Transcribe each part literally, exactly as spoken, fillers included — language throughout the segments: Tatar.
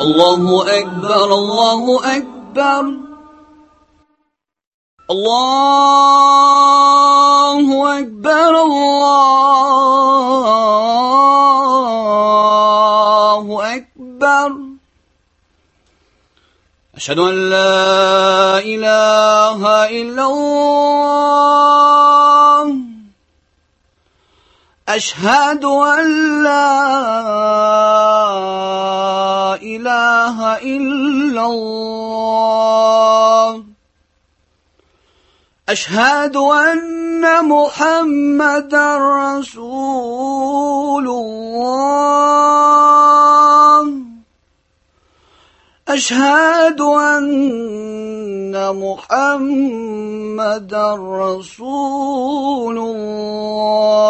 الله أكبر الله أكبر الله أكبر الله أكبر أشهد أن لا إله إلا الله أشهد أن لا إله إلا الله أشهد أن محمدا رسول الله أشهد أن محمدا رسول الله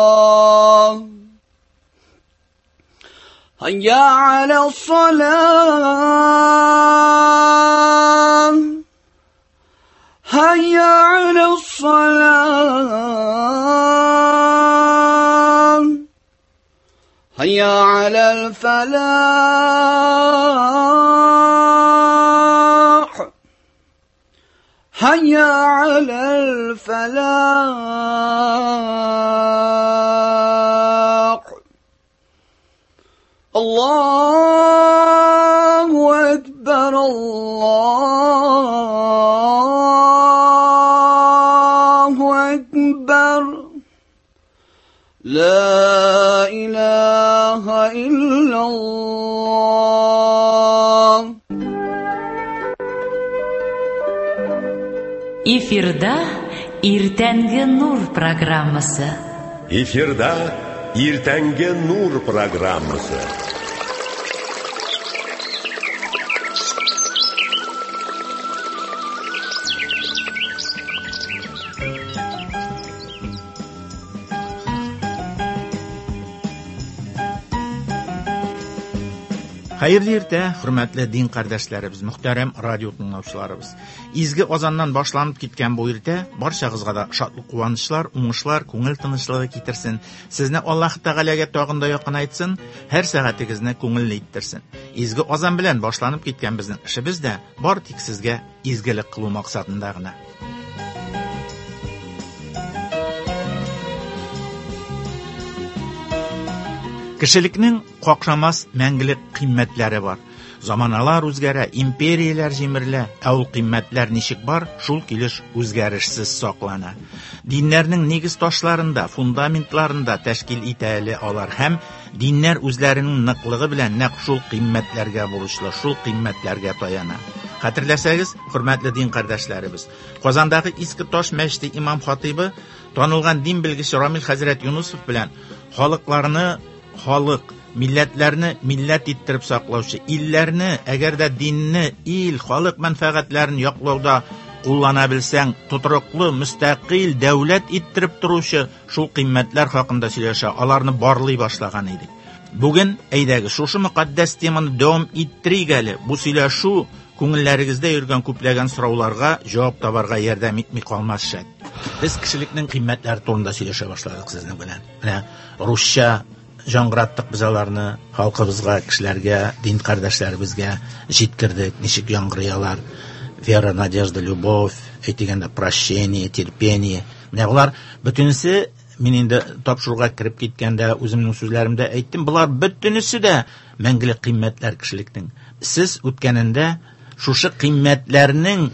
هيا على الصلاة هيا على الصلاة هيا على الفلاح هيا على الفلاح الله أكبر الله أكبر لا إله إلا الله. Эфирда Иртәнге Нур программасы. Эфирда Иртәнге Нур программасы. Хәерле иртә, хөрмәтле дин кардәшләребез, мөхтәрәм радио тыңлаучыларыбыз. Изге азаннан башланып киткән бу иртә барчагызга да шатлык, куанычлар, уңышлар, күңел тынычлыгы китерсен. Сезне Аллаһ Тәгаләгә тагын да якынайтсын, һәр сәгатегезне күңелле иттерсен. Изге азан белән башланып киткән безнең эшебез дә бар тик сезгә изгелек кылу максатында гына. Кешелекнең какшамас мәңгелек кыйммәтләре бар. Заманалар үзгәрә, империяләр җимерелә, ә ул кыйммәтләр ничек бар, шул килеш үзгәрешсез саклана. Диннәрнең нигез ташларында, фундаментларында тәшкил итә әле алар һәм диннәр үзләренең ныклыгы белән нәкъ шул кыйммәтләргә бурычлы, шул кыйммәтләргә таяна. Хәтерләсәгез, хөрмәтле дин кардәшләребез, Казандагы Иске Таш мәчете имам хатибы, танылган дин белгече Рамил хәзрәт Юнусов белән халыкларны халык, милләтләрне милләт иттереп саклаучы, илләрне, әгәр дә динне, ил, халык мәнфәгатьләрен яклауда куллана белсәң, тотрыклы, мөстәкыйль дәүләт иттереп торучы шул кыйммәтләр хакында сөйләшә, аларны барлый башлаган идек. Бүген әйдәгез шушы мөкатдәс теманы дәвам иттерик әле. Бу сөйләшү күңелләрегездә йөргән күпләгән сорауларга җавап табарга ярдәм итми калмас шәт. Без кешелекнең кыйммәтләре турында сөйләшә башладык сезнең белән. Менә русча жаңгыраттык без аларны, халкыбызга, кешеләргә, дин кардәшләребезгә җиткердек, ничек яңгырый алар. Вера, надежда, любовь, әйтегәндә прощение, терпение. Менә болар бөтенесе, мин инде тапшыруга кереп киткәндә үземнең сүзләремдә әйттем, болар бөтенесе дә мәңгелек кыйммәтләр кешелекнең. Сез үткәнендә шушы кыйммәтләрнең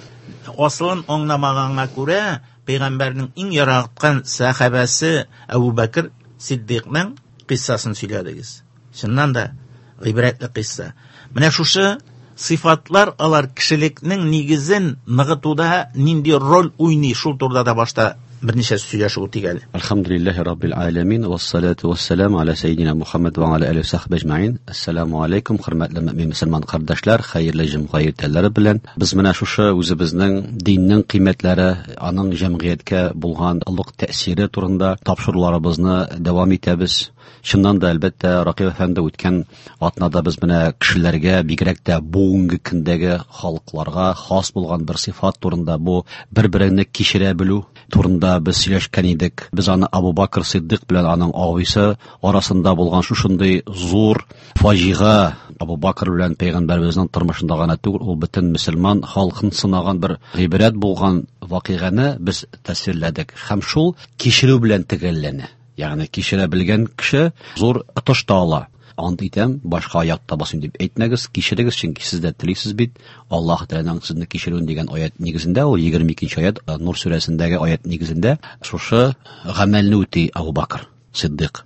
асылын аңламаганга күрә, пәйгамбәрнең иң яраткан сәхабәсе Әбу Бәкер Сиддикның қиссасын сөйләдегез. Чыннан да гыйбрәтле қисса. Менә шушы сыйфатлар алар кешелекнең нигезен ныгытуда нинди роль уйный, шул турыда да башта берничә сөйләшеп үтик әле. Әлхәмдүлилләһи раббил аламин вассалату вассаламу аля саййидина Мухаммад ва аля алиһи ва сахбиһи әҗмәин. Ассаламу алейкум, хөрмәтле мөмин мөселман кардәшләр, хәерле җомга иртәләре белән. Без менә шушы үзебезнең диннең кыйммәтләре, аның җәмгыятькә булган олуг тәэсире турында тапшыруларыбызны дәвам итәбез. Чыннан да, әлбәттә, Ракыйп әфәнде, үткән атнада без менә кешеләргә, бигрәк тә бүгенге көндәге халыкларга хас булган бер сыйфат турында, бу бер-береңне кичерә белү турында без сөйләшкән идек. Без аны Абу Бакр Сиддык белән аның абыйсы арасында булган шушындый зур фаҗига, Абу Бакр белән пәйгамбәребезнең тормышында гына түгел, ул бөтен мөселман халкын сынаган бер гыйбрәт булган вакыйганы без тәсвирләдек. Һәм шул кичерү белән төгәлләнә. Ягъни кичерә белгән кеше зур отыш та ала. Ант итәм, башка аятта басыйм дип әйтмәгез, кичерегез, чөнки сез дә телисез бит. Аллаһ Тәгаләнең сезне кичерүен дигән аят нигезендә, ул егерме икенче аят, Нур сүрәсендәге аят нигезендә шушы гамәлне үти Абу Бакр Сиддык.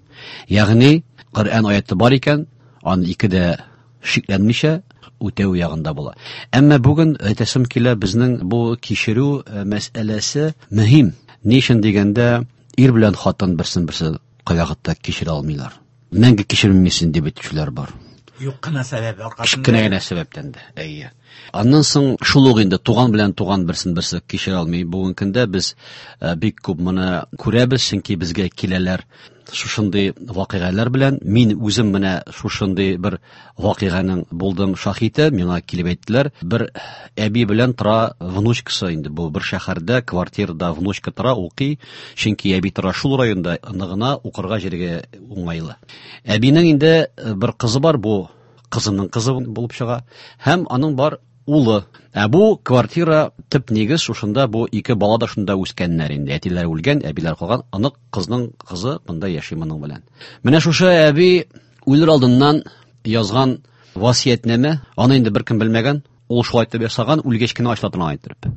Ягъни Коръән аяты бар икән, аны ике дә шикләнмичә үтәү ягында була. Әмма бүген әйтәсем килә, безнең бу кичерү мәсьәләсе мөһим. Ни өчен дигәндә, ир белән хатын берсен берсе кайвакытта кичерә алмыйлар. Мәңге кичермисең дип әйтүчеләр бар. Юк кына сәбәп аркасында. Кечкенә генә сәбәптән дә, әйе. Аннан соң шул ук инде туган белән туган берсен берсе кичерә алмый. Бүгенге көндә без бик күп моны күрәбез, чөнки безгә киләләр шушындый вакыйгалар белән. Мин үзем менә шушындый бер вакыйганың булдым шаһиты, миңа килеп әйттеләр. Бер әби белән тора внучкасы инде, бу бер шәһәрдә квартирада внучка тора, укый, чөнки әби тора шул районда, ныгына укырга җиргә уңайлы. Әбинең инде бер кызы бар, бу кызының кызы булып чыга, һәм аның бар улы. Ә бу квартира төп нигез шушында, бу ике бала да шунда үскәннәр инде. Әтиләр үлгән, әбиләр калган, анык кызның кызы монда яши моның белән. Менә шушы әби үлер алдыннан язган васыятьнамә, аны инде беркем белмәгән, ул шулай итеп ясаган, үлгәч кенә ачыла торган итеп.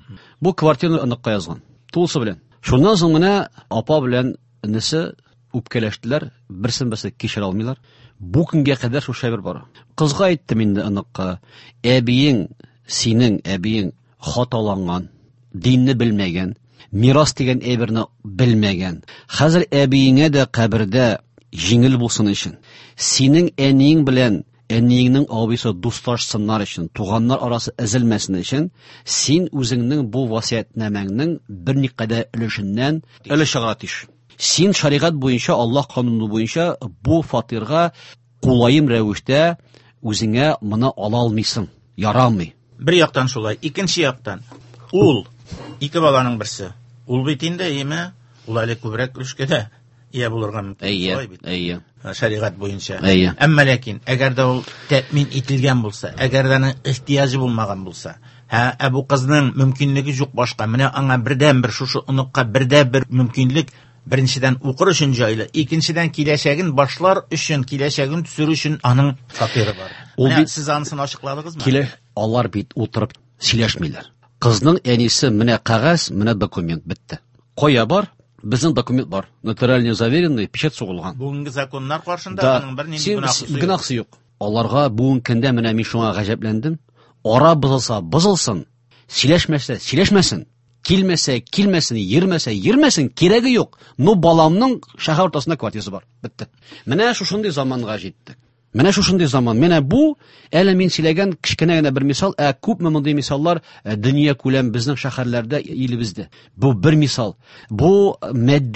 Бу квартираны оныкка язган, тулысы белән. Шуннан соң менә апа белән энесе үпкәләштеләр, берсен берсе кичерә алмыйлар. Бу көнгә кадәр шушы әйбер бар. Кызга әйттем инде оныкка, әбиең, синең әбиең хаталанган, динне белмәгән, мирас дигән әйберне белмәгән. Хәзер әбиеңә дә кабердә җиңел булсын өчен, синең әниең белән әниеңнең абыйсы дуслашсыннар өчен, туганнар арасы өзелмәсен өчен, син үзеңнең бу васыятьнамәңнең берникадәр өлешеннән өлеш чыгарга тиеш. Син шәригать буенча, Аллаһ кануны буенча бу фатирга кулаем рәвештә үзеңә моны ала алмыйсың, ярамый. Бер яктан шулай, икенче яктан ул ике баланың берсе. Ул бит инде, әйеме, ул әле күбрәк өлешкә дә ия булырга мөмкин. Әйе, Шулай бит. әйе. Шәригать буенча. Әйе. Әмма ләкин, әгәр дә ул тәэмин ителгән булса, әгәр дә аның ихтыяҗы булмаган булса, һә, ә бу кызның мөмкинлеге юк башка, менә аңа бердән-бер шушы оныкка бердән-бер мөмкинлек, беренчедән укыр өчен җайлы, икенчедән киләчәген башлар өчен, киләчәген төзер өчен аның фатиры бар. Ул Менә бит сез анысын ачыкладыгызмы? Килә, алар бит утырып сөйләшмиләр. Кызның әнисе менә кәгазь, менә документ бетте. Кая бар? Безнең документ бар. Нотариально заверенный, печать сугылган. Бүгенге законнар каршында Да. аның бернинди Син гөнаһысы юк. гөнаһысы юк. Аларга бүгенге көндә менә мин шуңа гаҗәпләндем. Ара бозылса бозылсын, сөйләшмәсә сөйләшмәсен, килмәсә килмәсен, йөрмәсә йөрмәсен, кирәге юк. Но баламның шәһәр уртасында квартирасы бар. Бетте. Менә шушындый заманга җиттек. Менә шушындый заман. Менә бу әле мин сөйләгән кечкенә генә бер мисал, ә күпме мондый мисаллар, э, дөнья күләм безнең шәһәрләрдә, илебездә. Бу бер мисал. Бу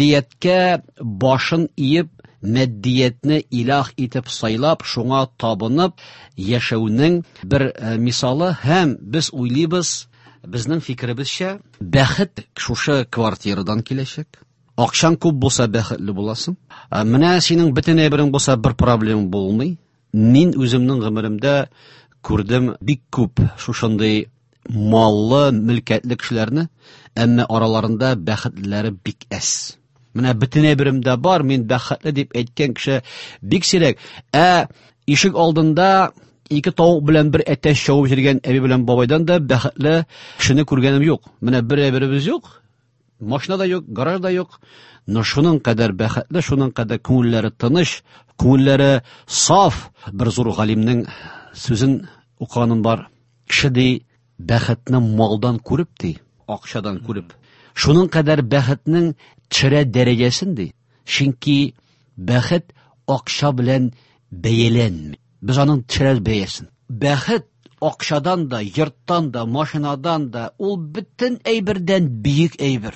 мәддияткә башын иеп, мәддиятне илаһ итеп сайлап, шуңа табынып яшәүнең бер, э, мисалы. Һәм без уйлыйбыз, безнең фикеребезчә, бәхет шушы квартирадан киләчәк. Акчаң күп булса бәхетле буласың. Ә, менә синең бөтен әйберең булса бер проблема булмый. Мин үземнең гомеремдә күрдем бик күп шушындый маллы, мөлкәтле кешеләрне, әмма араларында бәхетлеләре бик әз. Менә бөтен әйберем дә бар, мин бәхетле дип әйткән кеше бик сирәк. Ә ишек алдында ике тавык белән бер әтәч чабып йөргән әби белән бабайдан да бәхетле кешене күргәнем юк. Менә бер әйберебез юк, машина да юк, гараж да юк. Но шуның кадәр бәхетле, шуның кадәр күңелләре тыныч, күңелләре саф. Бер зур галимнең сүзен укыганым бар. Кеше ди, бәхетне малдан күреп ди, акчадан күреп. Шуның кадәр бәхетнең төшерә дәрәҗәсен ди. Чөнки бәхет акча белән бәяләнми. Без аның төшерә бәясен. Бәхет акчадан да, йорттан да, машинадан да, ул бөтен әйбердән бөек әйбер.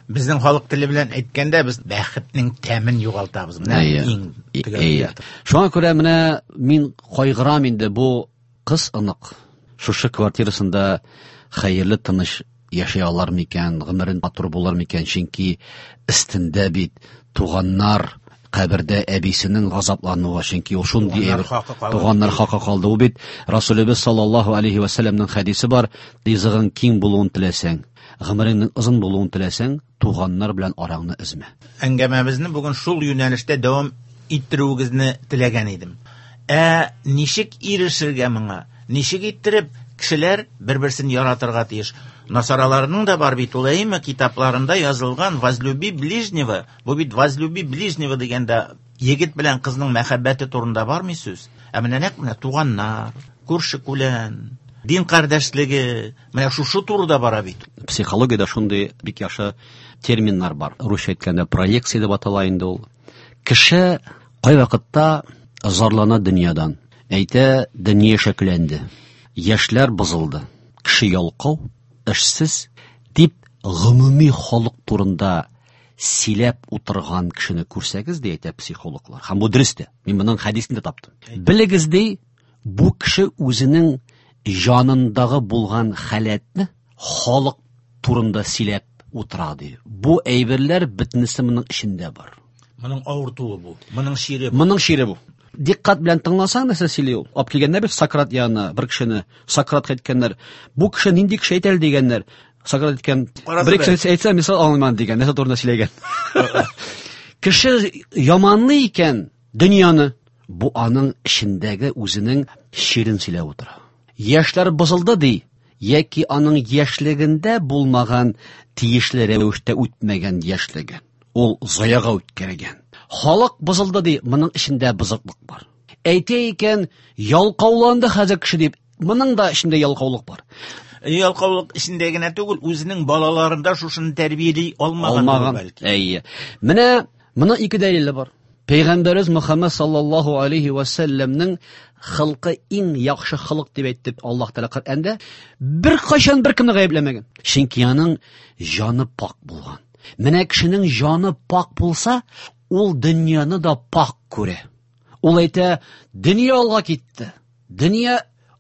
Безнең халык теле белән әйткәндә, без бәхетнең тәмен югалтабыз. Менә иң төгәл. Шуңа күрә менә мин кайгырам инде бу кыз онык. Шушы квартирасында хәерле тыныч яшәй алар микән, гомерен матур булыр микән, чөнки өстендә бит туганнар кабердә әбисенең газаплануы, чөнки ул шундый әйбер, туганнар хакы калды. Ул бит Расулыбыз саллаллаһу алейхи ва сәлләмнең хәдисе бар, ризыгың киң булуын теләсәң, гомереңнең озын булуын теләсәң, туганнар белән араңны өзмә. Әңгәмәбезне бүген шул юнәлештә дәвам иттерүегезне теләгән идем. Ә ничек ирешергә моңа? Ничек иттереп кешеләр бер-берсен яратырга тиеш? Насараларның да бар бит ул, әйме, китапларында язылган «Возлюби ближнего». Бу бит «Возлюби ближнего» дигәндә егет белән кызның мәхәббәте турында бармы сүз? Ә менә нәкъ менә туганнар, күрше-күлән, дин кардәшлеге, менә шушы турыда бара бит. Психологиядә шундый бик яхшы терминнар бар. Русча әйткәндә проекция дип атала инде ул. Кеше кайвакытта зарлана дөньядан. Әйтә, дөнья шәкләнде. Яшьләр бозылды. Кеше ялкау, эшсез дип гомуми халык турында сөйләп утырган кешене күрсәгез, ди әйтә психологлар. Һәм бу дөрес тә. Мин моның хәдисен дә таптым. Белегез, ди, бу кеше үзенең җанындагы булган халәтне халык турында сөйләп утыра, ди. Бу әйберләр бөтенесе моның эчендә бар. Моның авыртуы бу, моның чире бу. Моның чире бу. Диккать белән тыңласаң, нәрсә сөйли ул? Алып килгәннәр бит Сократ янына бер кешене. Сократка әйткәннәр, бу кеше нинди кеше әйтә әле дигәннәр. Сократ әйткән, бер кеше әйтсә, мисал аңламам дигән, нәрсә турында сөйләгән. Кеше яманлый икән дөньяны, бу аның эчендәге үзенең чирен сөйләп утыра. Яшьләр бозылды ди, яки аның яшьлегендә булмаган тиешле рәвештә үтмәгән яшьлеге. Ул заяга үткәргән. Халык бозылды ди, моның эчендә бозыклык бар. Әйтә икән, ялкауланды хәзер кеше дип, моның да эчендә ялкаулык бар. Ялкаулык эчендә генә түгел, үзенең балаларында шушыны тәрбияли алмаган бәлки. Әйе. Менә моның ике дәлиле бар. Пәйгамбәребез Мөхәммәд саллаллаһу алейхи ва сәлләмнең халкы иң яхшы халык дип әйтте Аллаһ Тәгалә Коръәндә. Бер кайчан бер кемне гаепләмәгән. Чөнки аның җаны пак булган. Менә кешенең җаны пак булса, ул дөньяны да пак күрә. Ул әйтә, дөнья алга китте. Дөнья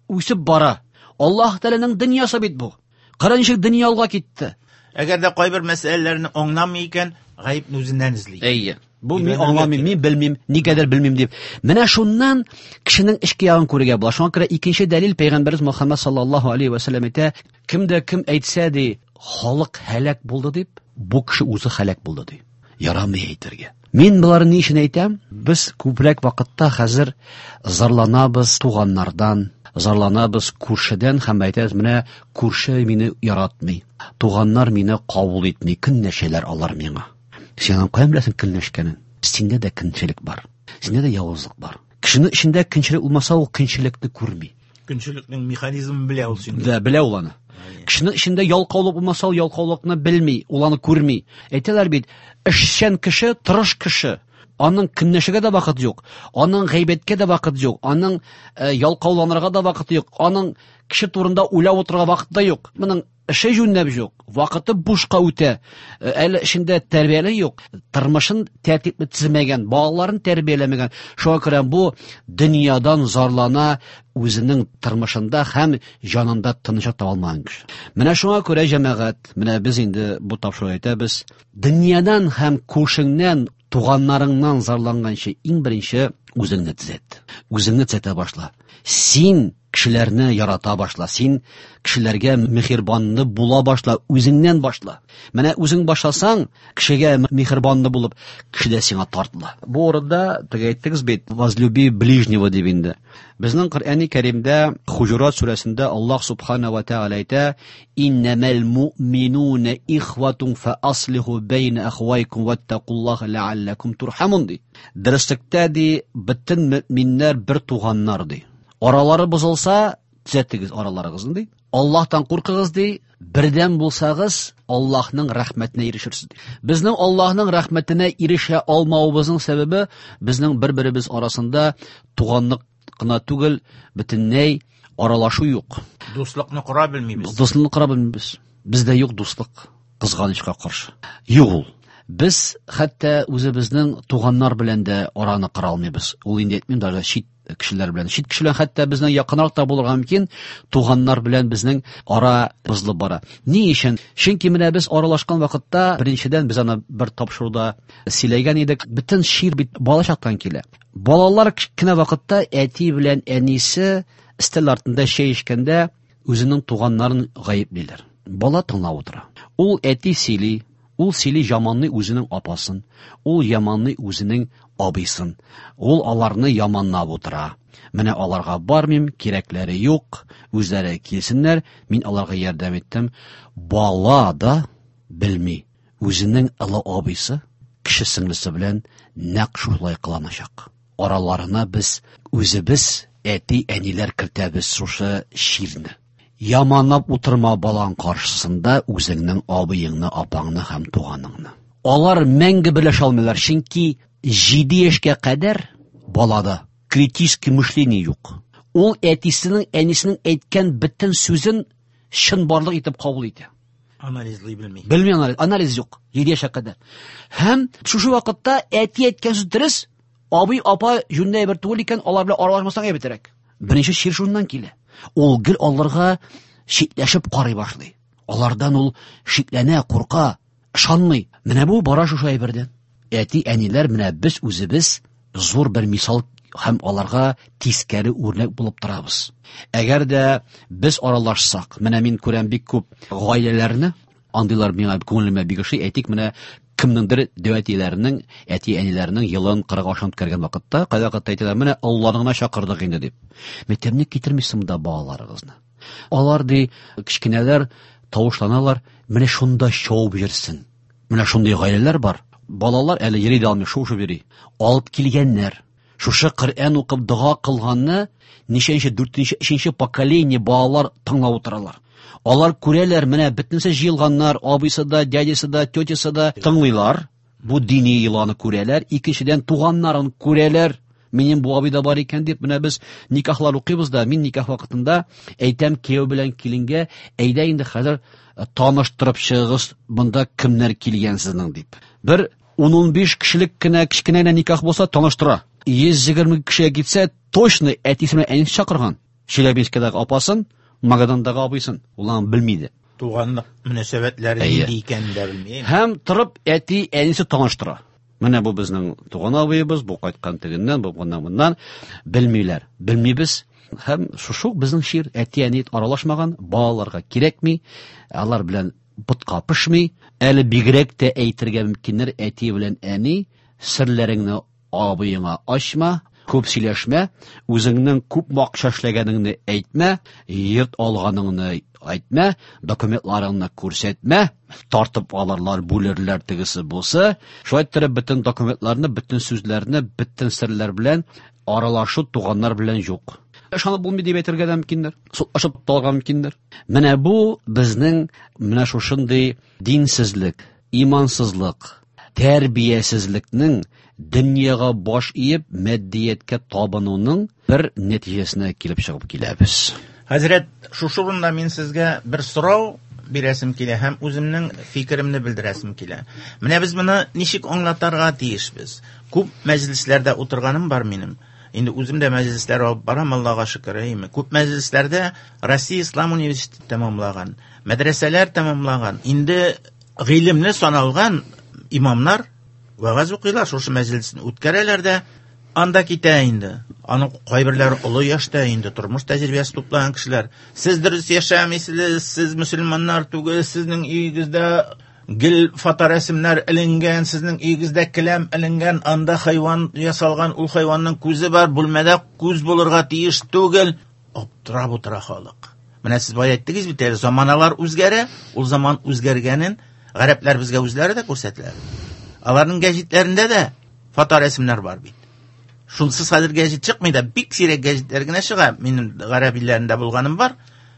үсеп бара. Аллаһ Тәгаләнең дөньясы бит бу. Кара ничек дөнья алга китте. Әгәр дә кайбер мәсьәләләрне аңламый икән, гаепне үзеннән эзли. Әйе. Бу мин аңламыйм, мин белмим, никадәр белмим дип. Менә шуннан кешенең эчке ягын күрергә була. Шуңа күрә икенче дәлил Пәйгамбәребез Мөхәммәд саллаллаһу алейхи ва сәлләм әйтә, кем дә кем әйтсә ди, халык һәлак булды дип, бу кеше үзе һәлак булды ди. Ярамый әйтергә. Мин боларны ни өчен әйтәм? Без күбрәк вакытта хәзер зарланабыз туганнардан, зарланабыз күршедән һәм әйтәбез, менә күрше мине яратмый, туганнар мине кабул итми, көнләшәләр алар миңа. Син аны каян беләсең көнләшкәнен? Синдә дә көнчелек бар, синдә дә явызлык бар. Кешенең эчендә көнчелек булмаса, ул көнчелекне күрми. Көнчелекнең механизмын белә ул синдә. Да, белә ул аны. Кешенең эчендә ялкаулык булмаса, ул ялкаулыкны белми, ул аны күрми. Әйтәләр бит, эшчән кеше, тырыш кеше. Аның көнләшергә дә вакыт юк, аның гайбәткә дә вакыт юк, аның ялкауланырга да вакыт юк, аның кеше турында уйлап утырырга вакыт та юк. Моның эше җүнләп юк, вакыты бушка үтә. Әле эшендә тәрбияле юк, тормышын тәртипле төземәгән, балаларын тәрбияләмәгән. Шуңа күрә бу дөньядан зарлана, үзенең тормышында һәм җанында тынычлык таба алмаган кеше. Менә шуңа күрә җәмәгать, менә без инде бу тапшыру әйтәбез, дөньядан һәм күршеңнән, туганнарыңнан зарланганчы иң беренче үзеңне төзәт. Үзеңне төзәтә башла. Син кешеләрне ярата башла, син кешеләргә миһербанлы була башла, үзеңнән башла. Менә үзең башласаң, кешегә миһербанлы булып, кеше дә сиңа тартыла. Бу урында теге әйттегез бит, возлюби ближнего дип инде. Безнең Коръәни Кәримдә Хуҗурат сүрәсендә Аллаһ субхана ва тәгалә әйтә: "Иннәмәл муъминуна ихватун фа аслиху бәйнә ахвайкум ваттакуллаһа ләалләкум турхамун" ди. Дөреслектә ди, бөтен мөэминнәр бер туганнар ди. Аралары бозылса, төзәтегез араларыгызны ди. Аллаһтан куркыгыз ди, бердәм булсагыз, Аллаһның рәхмәтенә ирешерсез ди. Безнең Аллаһның рәхмәтенә ирешә алмавыбызның сәбәбе безнең бер-беребез арасында туганлык кына түгел, бөтенләй аралашу юк. Дуслыкны кора белмибез. Дуслыкны кора белмибез. Бездә юк дуслык. Кызганычка каршы. Юк ул. Без хәтта үзебезнең туганнар белән дә араны кыра алмыйбыз. Ул инде әйтмим, даже чит кешеләр белән. Чит кешеләр хәтта безнең якынрак та булырга мөмкин, туганнар белән безнең ара бозылып бара. Ни өчен? Чөнки менә без аралашкан вакытта, беренчедән без аны бер тапшыруда сөйләгән идек, бөтен чир бит балачактан килә. Балалар кечкенә вакытта әти белән әнисе өстәл артында чәй эчкәндә үзенең туганнарын гаеплиләр. Бала тыңлап утыра. Ул әти сөйли, ул сөйли яманлый үзенең апасын, ул яманлый үзенең абыйсын. Ул аларны яманлап утыра. Менә аларга бармыйм, кирәкләре юк, үзләре килсеннәр, мин аларга ярдәм иттем. Бала да белми, үзенең олы абыйсы, кече сеңлесе белән нәкъ шулай кыланачак. Араларына без үзебез әти-әниләр кертәбез шушы чирне. Яманлап утырма балаң каршысында үзеңнең абыеңны, апаңны һәм туганыңны. Алар мәңге берләшә алмыйлар, чөнки җиде яшькә кадәр балада критический мышление юк. Ул әтисенең, әнисенең әйткән бөтен сүзен чынбарлык итеп кабул итә. Анализлый белми. Белми анализ, анализ юк җиде яшькә кадәр. Һәм шушы вакытта әти әйткән сүз дөрес, абый, апа җүнле бер түгел икән, алар белән аралашмасаң әйбәтрәк. Беренче чир шуннан килә. Ул гел аларга шикләшеп карый башлый. Алардан ул шикләнә, курка, ышанмый. Менә бу бара шушы әйбердән. Әти, әниләр, менә без үзебез зур бер мисал һәм аларга тискәре үрнәк булып торабыз. Әгәр дә без аралашсак, менә мин күрәм бик күп гаиләләрне, андыйлар миңа күңелемә бик ошый. Әйтик, менә кемнеңдер дәү әтиләренең, әти-әниләренең елын кырык ашын үткәргән вакытта, кайвакытта әйтәләр, менә Алланы гына чакырдык инде дип. Мәктәпне китермисең монда балаларыгызны. Алар ди, кечкенәләр тавышланалар, менә шунда шоу бирсен. Менә шундый гаиләләр бар. Балалар әле йөри дә алмый, шуышып йөри. Алып килгәннәр. Шушы Коръән укып дога кылганны ничәнче, дүртенче, өченче поколение балалар тыңлап утыралар. Алар күрәләр, менә бөтенесе җыелганнар, абыйсы да, дядясы да, тетясы да тыңлыйлар. Бу дини йоланы күрәләр. Икенчедән туганнарын күрәләр. Минем бу абый да бар икән дип, менә без никахлар укыйбыз да, мин никах вакытында әйтәм кияү белән киленгә, әйдә инде хәзер таныштырып чыгыгыз, монда кемнәр килгән сезнең дип. Бер ун-ун биш кешелек кенә кечкенә генә никах булса таныштыра. Йөз егерме кешегә китсә, точно әтисе белән әнисе чакырган. Челябинскидагы апасын, Магадандагы абыйсын, ул аны белми иде. Туганлык мөнәсәбәтләре Әйе. нинди икәнен дә белми. Һәм торып әти әнисе таныштыра. Менә бу безнең туган абыебыз, бу кайткан тегеннән, бу моннан, моннан. Белмиләр, белмибез. Һәм шушы безнең чир, әти-әни аралашмаган, балаларга кирәкми, алар белән ботка пешми. Әле бигрәк тә әйтергә мөмкиннәр, әти белән әни, серләреңне абыеңа ачма, күп сөйләшмә, үзеңнең күп акча эшләгәнеңне әйтмә, йорт алганыңны әйтмә, документларыңны күрсәтмә, тартып алырлар, бүлерләр тегесе булса. Шулай иттереп бөтен документларны, бөтен сүзләрне, бөтен серләр белән аралашу туганнар белән юк. Ышанып булмый дип әйтергә дә мөмкиннәр, судлашып та алырга мөмкиннәр. Менә бу безнең менә шушындый динсезлек, имансызлык, тәрбиясезлекнең дөньяга баш иеп, матдияткә табынуның бер нәтиҗәсенә килеп чыгып киләбез. Хәзрәт, шушы урында мин сезгә бер сорау бирәсем килә һәм үземнең фикеремне белдерәсем килә. Менә без моны ничек аңлатырга тиешбез? Күп мәҗлесләрдә утырганым бар минем. Инде үзем дә мәҗлесләр алып барам, Аллага шөкер, әйеме? Күп мәҗлесләрдә Россия Ислам университеты тәмамлаган, мәдрәсәләр тәмамлаган, инде гыйлемле саналган имамнар вәгазь укыйлар, шушы мәҗлесне үткәрәләр дә, анда китә инде. Аның кайберләре олы яшьтә инде, тормыш тәҗрибәсе туплаган кешеләр. Сез дөрес яшәмисез, сез мөселманнар түгел, сезнең өегездә гел фоторәсемнәр эленгән, сезнең өегездә келәм эленгән, анда хайван ясалган, ул хайванның күзе бар, бүлмәдә күз булырга тиеш түгел. Аптырап утыра халык. Менә сез бая әйттегез бит әле, заманалар үзгәрә, ул заман үзгәргәнен гарәпләр безгә үзләре дә күрсәтәләр. Аларның гәҗитләрендә дә фоторәсемнәр бар бит. Шунсыз хәзер гәҗит чыкмый да, бик сирәк гәҗитләр генә чыга. Минем гарәп илләрендә булганым бар.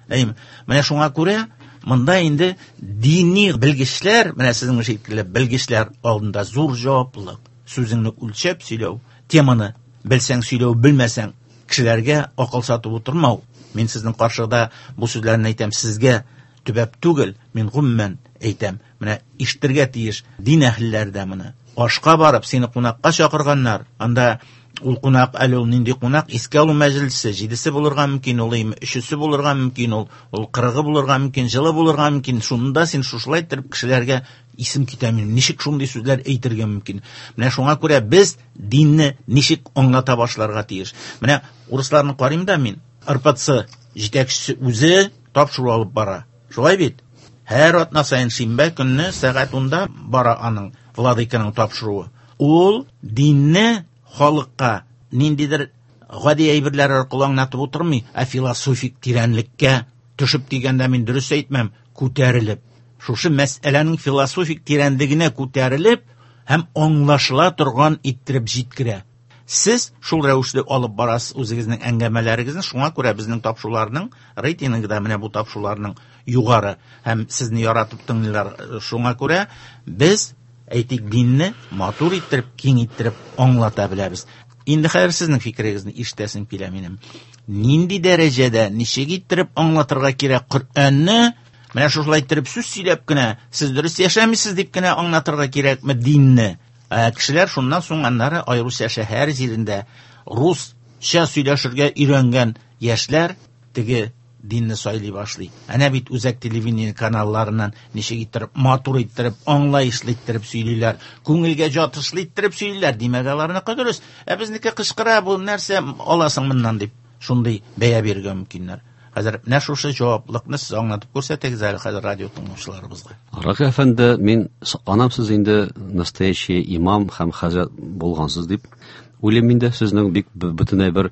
Әйме, менә шуңа күрә монда инде дини белгечләр, менә сезнең шикелле белгечләр алдында зур җаваплылык. Сүзеңне үлчәп сөйләү, теманы белсәң сөйләү, белмәсәң кешеләргә акыл сатып утырмау. Мин сезнең каршыда бу сүзләрне әйтәм, сезгә төбәп түгел, мин гомумән әйтәм. Менә ишетергә тиеш дин әһелләре дә моны. Ашка барып сине кунакка чакырганнар. Анда ул кунак әле ул нинди кунак? Искә алу мәҗлесе, җидесе булырга мөмкин, ул өчесе булырга мөмкин, ул ул кырыгы булырга мөмкин, җылы булырга мөмкин. Шунда син шушылай иттереп кешеләргә исем китә минем. Ничек шундый сүзләр әйтергә мөмкин? Менә шуңа күрә без динне ничек аңлата башларга тиеш. Менә урысларны карыйм да мин, эр пэ цэ җитәкчесе үзе тапшыру алып бара. Шулай бит? Һәр атна саен шимбә көнне сәгать унда бара аның владыканың тапшыруы. Ул динне халыкка ниндидер гади әйберләр аркылы аңлатып утырмый, ә философик тирәнлеккә төшеп дигәндә мин дөрес әйтмәм, күтәрелеп, шушы мәсьәләнең философик тирәнлегенә күтәрелеп һәм аңлашыла торган иттереп җиткерә. Сез шул рәвешле алып барасыз үзегезнең әңгәмәләрегезне, шуңа күрә безнең тапшыруларның рейтингы да менә бу тапшыруларның югары һәм сезне яратып тыңлыйлар. Шуңа күрә без әйтик динне матур иттереп, киң иттереп аңлата беләбез. Инде хәзер сезнең фикерегезне ишетәсем килә минем. Нинди дәрәҗәдә, ничек иттереп аңлатырга кирәк Коръәнне? Менә шушылай иттереп сүз сөйләп кенә, сез дөрес яшәмисез дип кенә аңлатырга кирәкме динне? Ә кешеләр шуннан соң аннары аеруча шәһәр җирендә русча сөйләшергә өйрәнгән яшьләр теге динне сайлый башлый. Әнә бит үзәк телевидение каналларыннан ничек иттереп, матур иттереп, аңлаешлы иттереп сөйлиләр, күңелгә ятышлы иттереп сөйлиләр. Димәк, аларныкы дөрес. Ә безнеке кычкыра, бу нәрсә аласың моннан дип шундый бәя бирергә мөмкиннәр. Хәзер менә шушы җаваплылыкны сез аңлатып күрсәтегез әле хәзер радио тыңлаучыларыбызга. Ракый әфәнде, мин сокланам, сез инде настоящий имам һәм хәзрәт булгансыз дип уйлыйм инде. Сезнең бик бөтенләй бер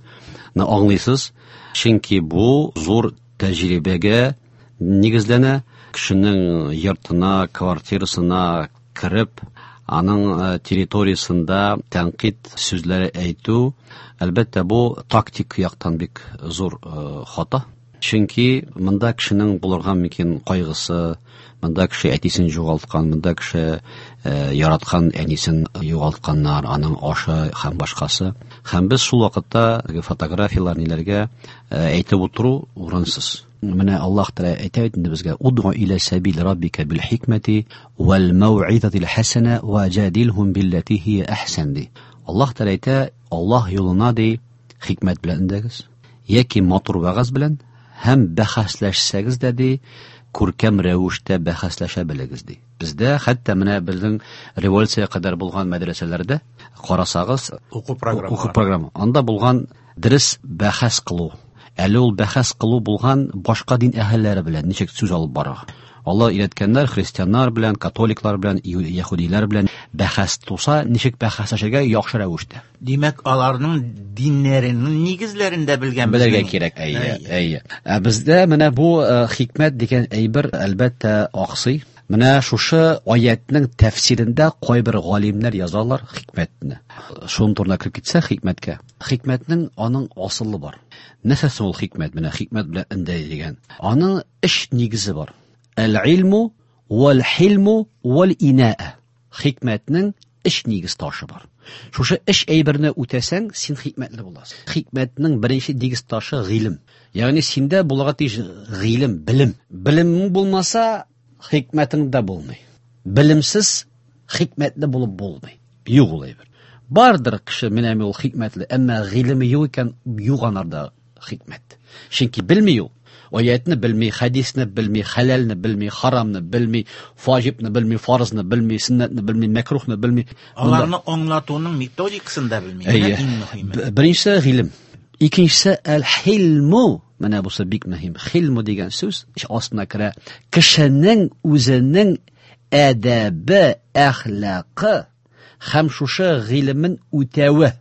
аңлыйсыз. Чөнки бу зур тәҗрибәгә нигезләнә. Кешенең йортына, квартирасына кереп, аның территориясендә тәнкыйть сүзләре әйтү, әлбәттә, бу тактик яктан бик зур хата. Чөнки монда кешенең булырга мөмкин кайгысы, монда кеше әтисен югалткан, монда кеше яраткан әнисен югалтканнар, аның ашы һәм башкасы. Һәм без шул вакытта фотографияләр ниләргә әйтеп утыру урынсыз. Менә Аллаһ Тәгалә әйтә бит инде безгә: "Удгу иля сабил раббика бил хикмәти вал мауизатил хасана ва жадилхум биллати хия ахсан" ди. Аллаһ Тәгалә әйтә, Аллаһ юлына ди хикмәт белән өндәгез, яки матур вәгазь белән һәм бәхәсләшсәгез дә ди, күркәм рәвештә бәхәсләшә белегез ди. Бездә хәтта менә безнең революция кадәр булган мәдрәсәләрдә карасагыз, уку программа, уку программа, анда булган дөрес бәхәс кылу. Әле ул бәхәс кылу булган башка дин әһелләре белән ничек сүз алып барырга. Алла өйрәткәннәр христианнар белән, католиклар белән, яһүдиләр белән бәхәс туса, ничек бәхәсләшергә яхшы рәвештә. Димәк, аларның диннәренең нигезләрен дә белгән белергә кирәк. Әйе, әйе. Ә бездә менә бу хикмәт дигән әйбер әлбәттә аксый. Менә шушы аятның тәфсирендә кайбер галимнәр язалар хикмәтне. Шуның турында кереп китсә хикмәткә. Хикмәтнең аның асылы бар. Нәрсәсе ул хикмәт? Менә хикмәт белән өндәй дигән. Аның өч нигезе бар. Әл-илму вәл-хилму вәл-инаа. Хикмәтнең өч нигез ташы бар. Шушы өч әйберне үтәсәң, син хикмәтле буласың. Хикмәтнең беренче нигез ташы гыйлем. Ягъни синдә булырга тиеш гыйлем, белем. Белемең булмаса, хикмәтең дә булмый. Белемсез хикмәтле булып булмый. Юк ул әйбер. Бардыр кеше менә ул хикмәтле, әмма гыйлеме юк икән, юк анарда хикмәт. Чөнки белми ул. Аятны белми, хәдисне белми, хәләлне белми, харамны белми, ваҗибны белми, фарызны белми, сөннәтне белми, мәкрухны белми. Аларны аңлатуның методикасын да белми. Менә иң мөһиме. Беренчесе гыйлем. Икенчесе әл-хилму. Менә бусы бик мөһим. Хилму дигән сүз астына керә. Кешенең үзенең әдәбе, әхлакы һәм шушы гыйлемен үтәве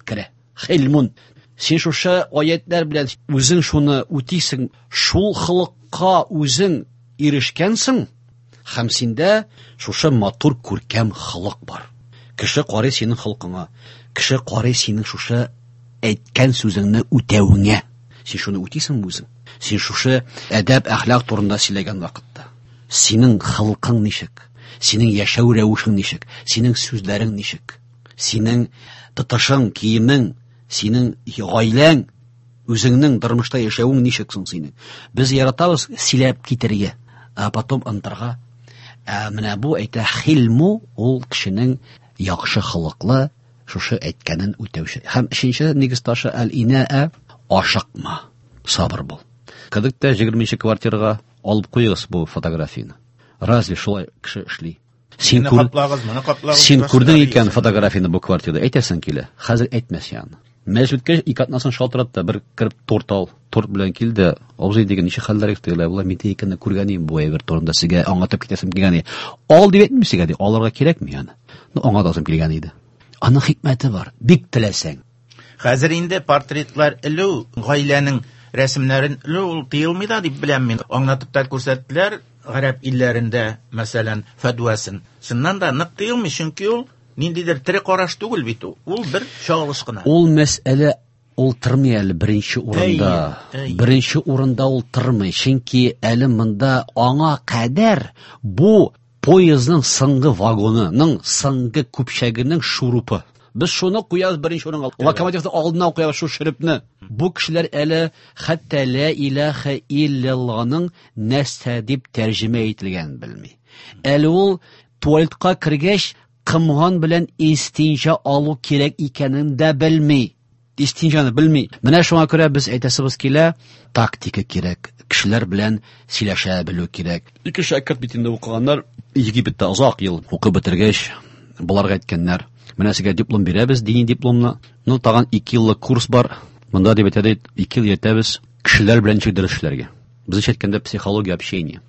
керә. Хилмун. Син шушы аятлар белән үзең шуны үтисең, шул холыкка үзең ирешкәнсең, һәм синдә шушы матур күркәм холык бар. Кеше карый синең холкыңа, кеше карый синең шушы әйткән сүзеңне үтәвеңә. Син шуны үтисеңме үзең? Син шушы әдәп, әхлак турында сөйләгән вакытта синең холкың ничек? Синең яшәү рәвешең ничек? Синең сүзләрең ничек? Синең тотышың, киемең, синең гаиләң, үзеңнең тормышта яшәвең ничек соң синең? Без яратабыз сөйләп китәргә. А потом онытырга. Ә менә бу әйтә хилму, ул кешенең яхшы холыклы, шушы әйткәнен үтәүче. Һәм өченче нигез ташы әл-инаа, ашыкма, сабыр бул. Кердек тә егерменче квартирага алып куегыз бу фотографияне. Разве шулай кеше эшли? Син Моны каплагыз, моны каплагыз. Син күрдең икән фотографияне бу квартирада, әйтәсең килә. Хәзер әйтмәс янына. Мәҗлес үткәч, ике атнасын шалтыратты да, бер кереп торт ал. Торт белән килде. Абзый дигән, ничек хәлләр тегеләр, болар мин икәнне күргән идем бу әйбер турында сезгә аңлатып китәсем килгән иде. Ал дип әйтмим сезгә, ди, алырга кирәкме аны? Ну, аңлатасым килгән иде. Аның хикмәте бар, бик теләсәң. Хәзер инде портретлар элү, гаиләнең рәсемнәрен элү ул тыелмый да дип беләм мин. Аңлатып та күрсәттеләр гарәп илләрендә, мәсәлән, фәдвәсен. Чыннан да нык тыелмый, чөнки ул ниндидер тере караш түгел бит ул. Ул бер чагылыш кына. Ул мәсьәлә ул тормый әле беренче урында. Әйе, әйе. Беренче урында ул тормый, чөнки әле монда аңа кадәр бу поездның соңгы вагонының соңгы көпчәгенең шурупы. Без шуны куябыз беренче урынга. Локомотивның алдына куябыз шу шөрепне. Бу кешеләр әле хәтта ла илаһа иллаллаһның нәрсә дип тәрҗемә ителгәнен белми. Әле ул туалетка кергәч кымган белән истинҗа алу кирәк икәнен дә белми. Истинҗаны белми. Менә шуңа күрә без әйтәсебез килә, тактика кирәк, кешеләр белән сөйләшә белү кирәк. Ике шәкерт бит инде укыганнар, Египетта озак ел укып бетергәч, боларга әйткәннәр, менә сезгә диплом бирәбез, дини дипломны. Ну, тагын ике еллык курс бар. Монда дип әйтә, ике ел йөртәбез кешеләр белән ничек дөрес эшләргә. Без әйткәндә психология общения.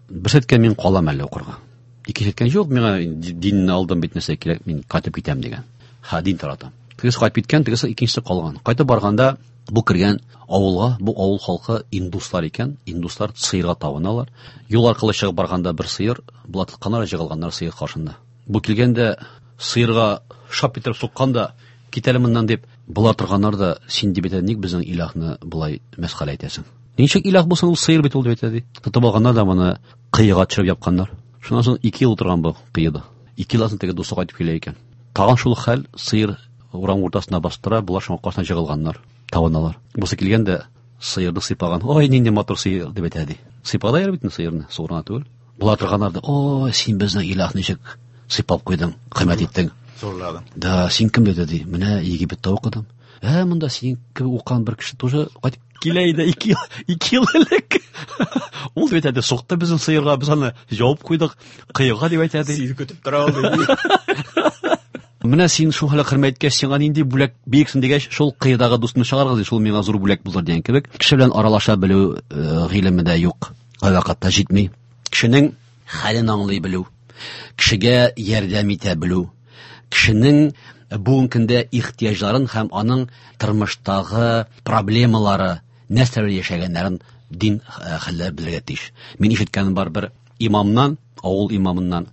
Бер әйткән мин калам әле укырга. Икенче әйткән юк, миңа динне алдым бит, нәрсә кирәк, мин кайтып китәм дигән. Ха, дин таратам. Тегесе кайтып киткән, тегесе икенчесе калган. Кайтып барганда бу кергән авылга, бу авыл халкы индуслар икән, индуслар сыерга табыналар. Юл аркылы чыгып барганда бер сыер, була тотканнар, җыгылганнар сыер каршында. Бу килгәндә сыерга шап итеп суккан да, китәле моннан дип, була торганнар да, син дип әйтә, ник безнең илаһны болай мәсхәрә итәсең? Ничек илаһ булсын, ул сыер бит ул дип әйтә, ди. Тотып алганнар да моны кыйга төшереп япканнар. Шуннан соң ике ел утырган бу кыйда. Ике елдан соң теге дусты кайтып килә икән. Тагын шул хәл, сыер урам уртасына бастыра, булар шуңа каршына җыгылганнар, табыналар. Бусы килгәндә сыерны сыйпаган. Ой, нинди матур сыер дип әйтә, ди. Сыйпады яр бит сыерны, суырына түгел. Була торганнар да, ой, син безнең илаһны ничек сыйпап куйдың, хөрмәт иттең. Зурладың. Да, син кем диде, ди. Менә Египетта укыдым. Ә, монда син кебек укыган бер кеше тоже кайтып килә иде ике ел, ике ел элек. Ул дип әйтә, сукты безнең сыерга, без аны җавып куйдык, кыйга дип әйтә, ди. Сине көтеп тора ул, ди. Менә син шул хәле хөрмәт иткәч, сиңа нинди бүләк бирсен дигәч, шул кыйдагы дустны чыгаргыз, ди, шул миңа зур бүләк булыр дигән кебек. Кеше белән аралаша белү, э, гыйлеме дә юк, кайвакытта җитми. Кешенең хәлен аңлый белү, кешегә ярдәм итә белү, кешенең бүгенге көндә ихтыяҗларын һәм аның тормыштагы проблемалары, нәрсә белән яшәгәннәрен дин, э, хәлләр белергә тиеш. Мин ишеткәнем бар бер имамнан, авыл имамыннан.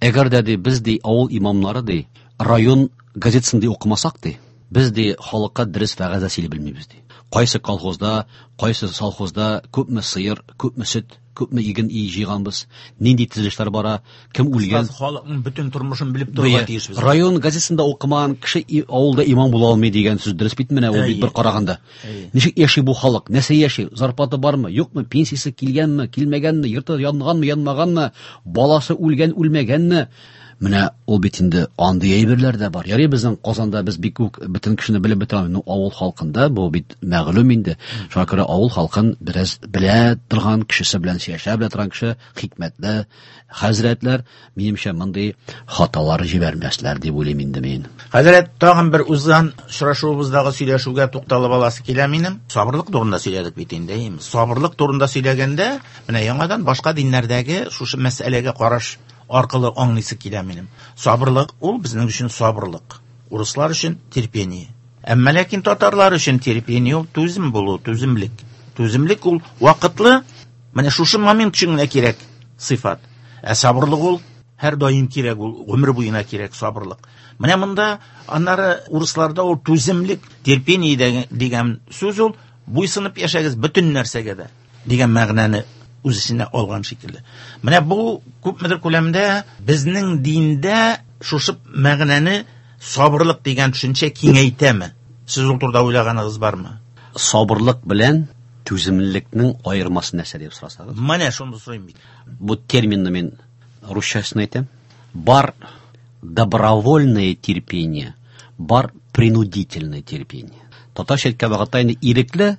Әгәр дә ди, без ди авыл имамнары ди, район газетасын ди укымасак ди, без ди халыкка дөрес вәгазь сөйли белмибез ди. Кайсы колхозда, кайсы совхозда күпме сыер, күпме сөт, күпме иген ий җыйганбыз, нинди төзелешләр бара, кем үлгән. Кыскасы, халыкның бөтен тормышын белеп торырга Бия. тиешбез. Район газетасында укымаган кеше и-, авылда имам була алмый дигән сүз дөрес бит менә ул бит бер караганда. Әйе. Ничек яши бу халык? Нәрсә яши? Зарплата бармы, юкмы? Пенсиясе килгәнме, килмәгәнме? Йорты янганмы, янмаганмы? Баласы үлгән, үлмәгәнме? Менә ул бит инде андый әйберләр дә бар. Ярый безнең Казанда без бик үк бөтен кешене белеп бетерә алмыйбыз. Ну, авыл халкында бу бит мәгълүм инде. Шуңа күрә авыл халкын бераз белә торган кешесе белән сөйләшә белә торган кеше, хикмәтле хәзрәтләр, минемчә, мондый хаталар җибәрмәсләр дип уйлыйм инде мин. Хәзрәт, тагын бер узган очрашуыбыздагы сөйләшүгә тукталып аласы килә минем. Сабырлык турында сөйләдек бит инде, әйеме? Сабырлык турында сөйләгәндә, менә яңадан башка диннәрдәге шушы мәсьәләгә караш аркылы аңлыйсы килә минем. Сабырлык ул безнең өчен сабырлык. Урыслар өчен терпение. Әмма ләкин татарлар өчен терпение ул түзем булу, түземлек. Түземлек ул вакытлы, менә шушы момент өчен генә кирәк сыйфат. Ә сабырлык ул һәр даим кирәк, ул гомер буена кирәк сабырлык. Менә монда аннары урысларда ул түземлек, терпение дигән, дигән сүз ул буйсынып яшәгез бөтен нәрсәгә дә дигән мәгънәне үз эченә алган шикелле. Менә бу күпмедер күләмдә безнең диндә шушы мәгънәне сабырлык дигән төшенчә киңәйтәме? Сез ул турыда уйлаганыгыз бармы? Сабырлык белән Түземлелекнең аермасы нәрсә дип сорасагыз? Менә шуны сорыйм бит. Бу терминны мин русчасын әйтәм. Бар добровольное терпение, бар принудительное терпение. Татарча әйткән вакытта инде ирекле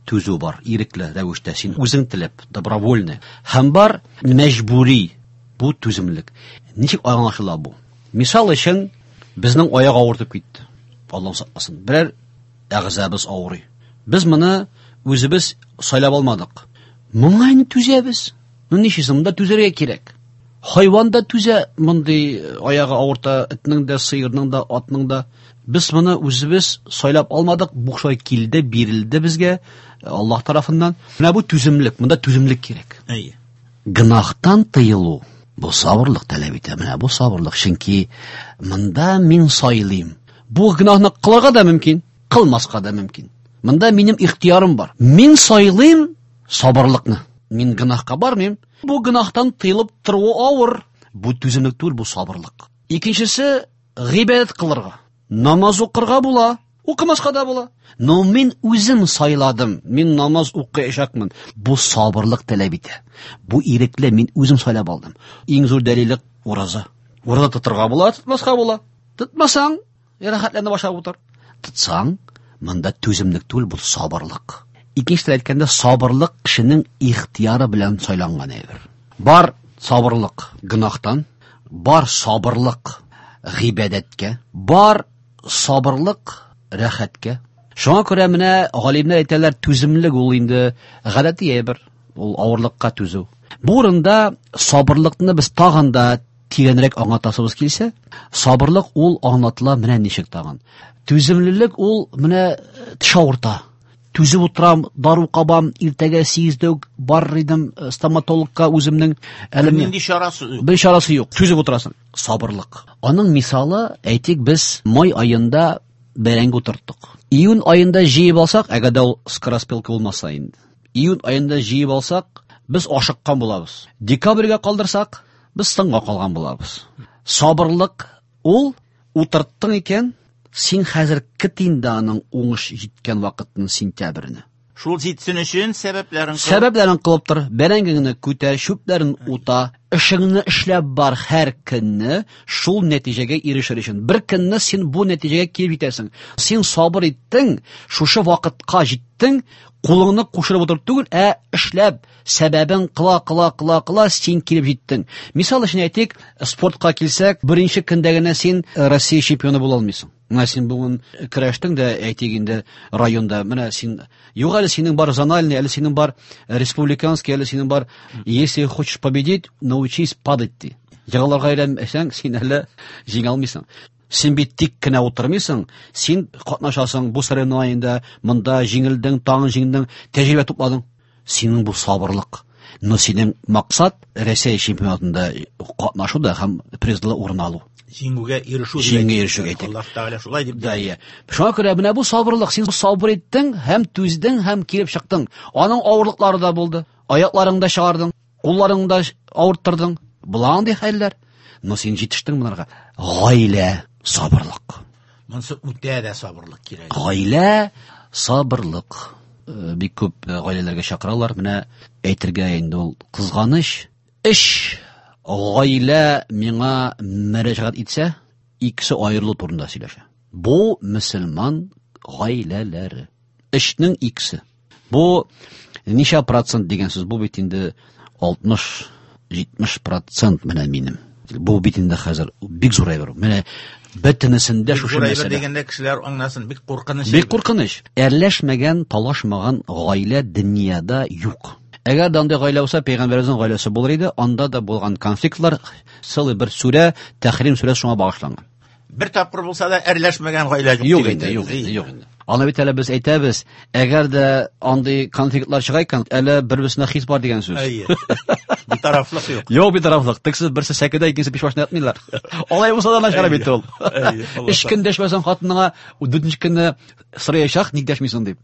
түзү бар, ирекле рәвештә син үзең теләп, добровольное. Һәм бар мәҗбүри, бу түземлек. Ничек аңлашыла бу? Мисал өчен, безнең аяк авыртып китте. Аллаһ сакласын. Берәр әгъзабыз авырый. Без моны үзебез сайлап алмадык. Моңа инде түзәбез. Ну ничек, монда түзәргә кирәк. Хайван да түзә, мондый аягы авырта, этнең дә, сыерның да, атның да. Без моны үзебез сайлап алмадык, бу шулай килде, бирелде безгә Аллаһ тарафыннан. Менә бу түземлек, монда түземлек кирәк. Әйе. Гөнаһтан тыелу бу сабырлык таләп итә. Менә бу сабырлык, чөнки монда мин сайлыйм. Бу гөнаһны кылырга да мөмкин, кылмаска да мөмкин. Монда минем ихтиярым бар. Мин сайлыйм сабырлыкны. Мин гөнаһка бармыйм. Бу гөнаһтан тыелып тору авыр. Бу түземлек түгел, бу сабырлык. Икенчесе гыйбадәт кылырга. Намаз укырга була, укымаска да була. Но мин үзем сайладым. Мин намаз укыячакмын. Бу сабырлык таләп итә. Бу ирекле, мин үзем сайлап алдым. Иң зур дәлиле ураза. Ураза тотырга була, тотмаска була. Тотмасаң, рәхәтләнеп ашап утыр. Тотсаң, монда түземлек түгел, бу сабырлык. Икенче әйткәндә, сабырлык кешенең ихтияры белән сайланган әйбер. Бар сабырлык гөнаһтан, бар сабырлык гыйбадәткә, бар сабырлык рәхәткә. Шуңа күрә менә галимнәр әйтәләр, түземлек ул инде гадәти әйбер, ул авырлыкка түзү. Бу урында сабырлыкны без тагын да тирәнрәк аңлатасыбыз килсә, сабырлык ул аңлатыла менә ничек тагын. Түземлелек ул менә теш авырта. Түзеп утырам, дару кабам, иртәгә сигездә үк барыр идем стоматологка үземнең. Әле нинди чарасы юк. Бер чарасы юк. Түзеп утырасың. Сабырлык. Аның мисалы, әйтик, без май аенда бәрәңге утырттык. Июнь аенда җыеп алсак, әгәр дә ул скороспелка булмаса инде. Июнь аенда җыеп алсак, без ашыккан булабыз. Декабрьгә калдырсак, без соңга калган булабыз. Сабырлык ул утырттың икән, син хәзер көт инде аның уңыш җиткән вакытын, сентябрьне. Шул җитсен өчен сәбәпләрен кылып. Сәбәпләрен кылып тор. Бәрәңгеңне күтәр, чүпләрен ута, эшеңне эшләп бар һәр көнне, шул нәтиҗәгә ирешер өчен. Бер көнне син бу нәтиҗәгә килеп җитәсең. Син сабыр иттең, шушы вакытка җиттең, кулыңны кушырып утырып түгел, ә эшләп, сәбәбен кыла, кыла, кыла, кыла, син килеп җиттең. Мисал өчен әйтик, спортка килсәк, беренче көндә генә син Россия чемпионы була алмыйсың. Менә син бүген көрәштең дә, әйтик инде районда, менә син юк әле синең бар зональный, әле синең бар республиканский, әле синең бар. Если хочешь победить, научись падать ди. Егылырга өйрәнмәсәң, син әле җиңә алмыйсың. Син бит тик кенә утырмыйсың, син катнашасың бу соревнованиедә, монда җиңелдең, тагын җиңдең, тәҗрибә тупладың. Синең бу сабырлык. Но синең максат Россия чемпионатында катнашу да һәм призлы урын алу. Җиңүгә ирешү. Җиңүгә ирешү әйтик. Аллаһ Тәгалә шулай дип. Да, иә. Шуңа күрә менә бу сабырлык, син сабыр иттең һәм түздең һәм килеп чыктың. Аның авырлыклары да булды. Аякларыңны да чыгардың, кулларыңны да авырттырдың. Була андый хәлләр. Но син җитештең монарга. Гаилә сабырлык. Монсы үтә дә сабырлык кирәк. Гаилә сабырлык. Бик күп гаиләләргә чакыралар. Менә әйтергә инде ул кызганыч. Эш гаилә миңа мөрәҗәгать итсә, икесе аерылу турында сөйләшә. Бу мөселман гаиләләре. Эшнең икесе. Бу ничә процент дигән сүз? Бу бит инде алтмыш, җитмеш процент менә минем. Бу бит инде хәзер бик зур әйбер. Менә бөтенесендә шушы мәсьәлә. Дигәндә кешеләр аңласын, бик куркыныч. Бик куркыныч. Әрләшмәгән, талашмаган гаилә дөньяда юк. Әгәр дә андый гаилә булса, пәйгамбәребезнең гаиләсе булыр иде, анда да булган конфликтлар, целый бер сүрә, Тәхрим сүрәсе шуңа багышланган. Бер тапкыр булса да әрләшмәгән гаилә юк. Юк инде, юк инде, юк инде. Аны бит әле без әйтәбез, әгәр дә андый конфликтлар чыга икән, әле бер-берсенә хис бар дигән сүз. Әйе. Битарафлык юк. Юк битарафлык. Тик сез берсе сәкедә, икенче пич башына ятмыйлар. Алай булса да начар бит ул. Өч көн дәшмәсәң хатыныңа, дүртенче көнне сораячак, ник дәшмисең дип.